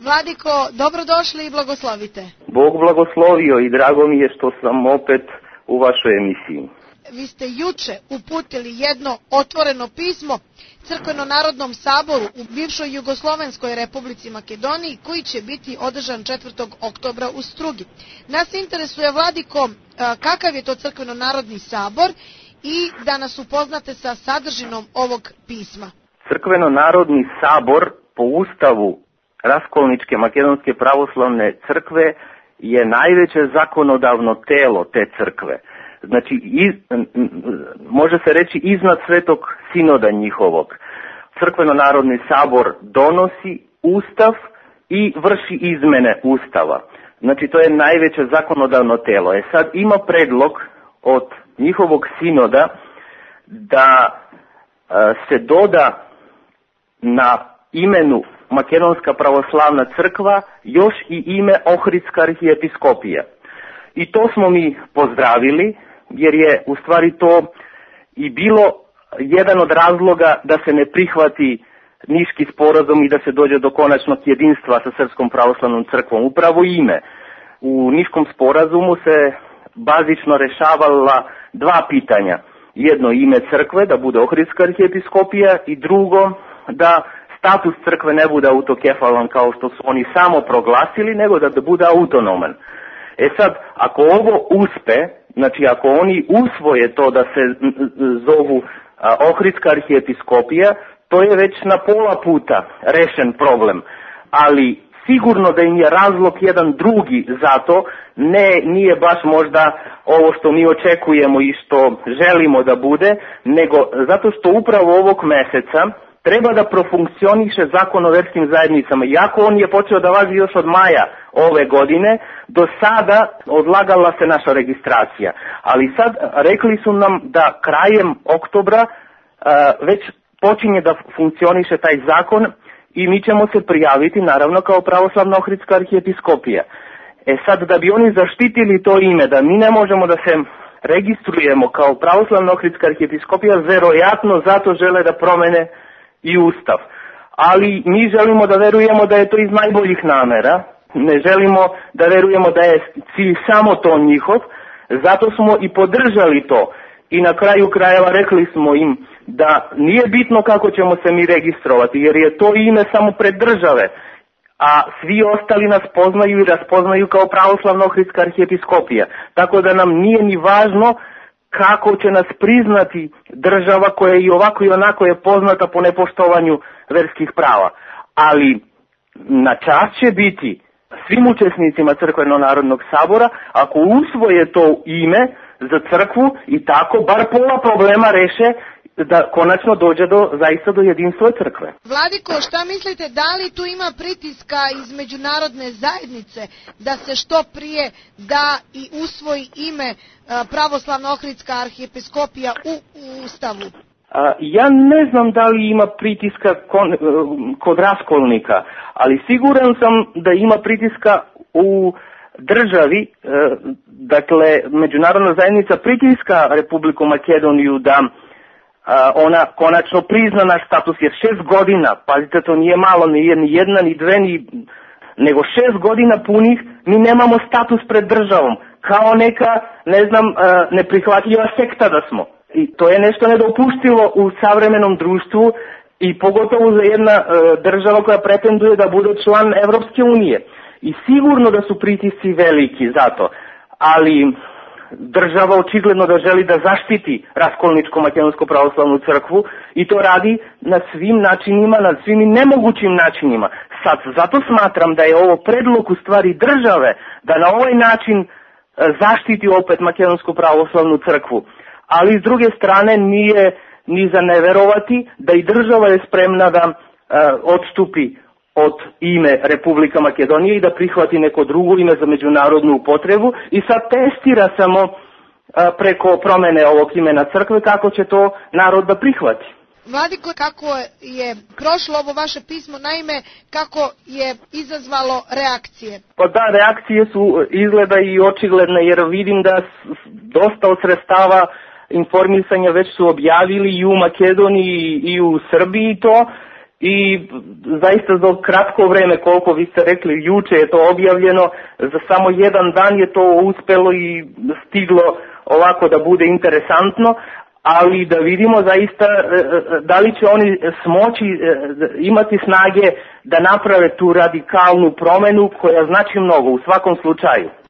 Vladiko, dobrodošli i blagoslovite. Bog blagoslovio i drago mi je što sam opet u vašoj emisiji. Vi ste juče uputili jedno otvoreno pismo Crkveno-narodnom saboru u bivšoj Jugoslovenskoj republici Makedoniji, koji će biti održan 4. oktobra u Strugi. Nas interesuje, Vladiko, kakav je to Crkveno-narodni sabor i da nas upoznate sa sadržinom ovog pisma. Crkveno-narodni sabor po Ustavu Raskolničke makedonske pravoslavne crkve je najveće zakonodavno telo te crkve. Znači, može se reći iznad Svetog sinoda njihovog. Crkveno-narodni sabor donosi Ustav i vrši izmene Ustava. Znači, to je najveće zakonodavno telo. Sad ima predlog od njihovog sinoda da se doda na imenu Makedonska pravoslavna crkva još i ime Ohridska arhijepiskopija. I to smo mi pozdravili, jer je u stvari to i bilo jedan od razloga da se ne prihvati Niški sporazum i da se dođe do konačnog jedinstva sa Srpskom pravoslavnom crkvom. Upravo ime. U Niškom sporazumu se bazično rešavala dva pitanja. Jedno, ime crkve, da bude Ohridska arhijepiskopija, i drugo, da status crkve ne bude autokefalan kao što su oni samo proglasili, nego da bude autonoman. Sad, ako ovo uspe, znači ako oni usvoje to da se zovu Ohridska arhijepiskopija, to je već na pola puta rešen problem. Ali sigurno da im je razlog jedan drugi za to, nije baš možda ovo što mi očekujemo i što želimo da bude, nego zato što upravo ovog meseca treba da profunkcioniše zakon o verskim zajednicama. Iako on je počeo da važi još od maja ove godine, do sada odlagala se naša registracija. Ali sad rekli su nam da krajem oktobra već počinje da funkcioniše taj zakon i mi ćemo se prijaviti naravno kao pravoslavna Ohridska arhijepiskopija. Sad, da bi oni zaštitili to ime, da mi ne možemo da se registrujemo kao pravoslavna Ohridska arhijepiskopija, verovatno zato žele da promene i Ustav. Ali mi želimo da verujemo da je to iz najboljih namera, ne želimo da verujemo da je cilj samo to njihov, zato smo i podržali to. I na kraju krajeva rekli smo im da nije bitno kako ćemo se mi registrovati, jer je to ime samo pred države, a svi ostali nas poznaju i raspoznaju kao pravoslavna Ohridska arhijepiskopija. Tako da nam nije ni važno kako će nas priznati država koja i ovako i onako je poznata po nepoštovanju verskih prava. Ali na čast će biti svim učesnicima Crkveno-narodnog sabora ako usvoje to ime za crkvu i tako bar pola problema reše, da konačno dođe zaista do jedinstva crkve. Vladiko, šta mislite, da li tu ima pritiska iz međunarodne zajednice da se što prije da i usvoji ime pravoslavna Ohridska arhijepiskopija u Ustavu? Ja ne znam da li ima pritiska kod Raskolnika, ali siguran sam da ima pritiska u državi, dakle međunarodna zajednica pritiska Republiku Makedoniju da ona konačno prizna naš status, jer 6 godina, pazite, to nije malo, nije ni jedna, ni dve, nego 6 godina punih mi nemamo status pred državom, kao neka, neprihvatljiva sekta da smo. I to je nešto nedopustivo u savremenom društvu i pogotovo za jedna država koja pretenduje da bude član Evropske unije. I sigurno da su pritisci veliki za to, ali država očigledno da želi da zaštiti Raskolničku makedonsku pravoslavnu crkvu i to radi na svim načinima, na svim nemogućim načinima. Sad, zato smatram da je ovo predlog u stvari države da na ovaj način zaštiti opet Makedonsku pravoslavnu crkvu. Ali s druge strane nije ni za neverovati da i država je spremna da odstupi od ime Republika Makedonije i da prihvati neko drugo ime za međunarodnu upotrebu i sad testira samo preko promene ovog imena crkve kako će to narod da prihvati. Vladiko, kako je prošlo ovo vaše pismo, naime, kako je izazvalo reakcije? Pa da, reakcije su izgleda i očigledne, jer vidim da dosta od sredstava informisanja već su objavili i u Makedoniji i u Srbiji to, i zaista za kratko vreme, koliko vi ste rekli, juče je to objavljeno, za samo jedan dan je to uspelo i stiglo ovako da bude interesantno, ali da vidimo zaista da li će oni smoći imati snage da naprave tu radikalnu promenu koja znači mnogo u svakom slučaju.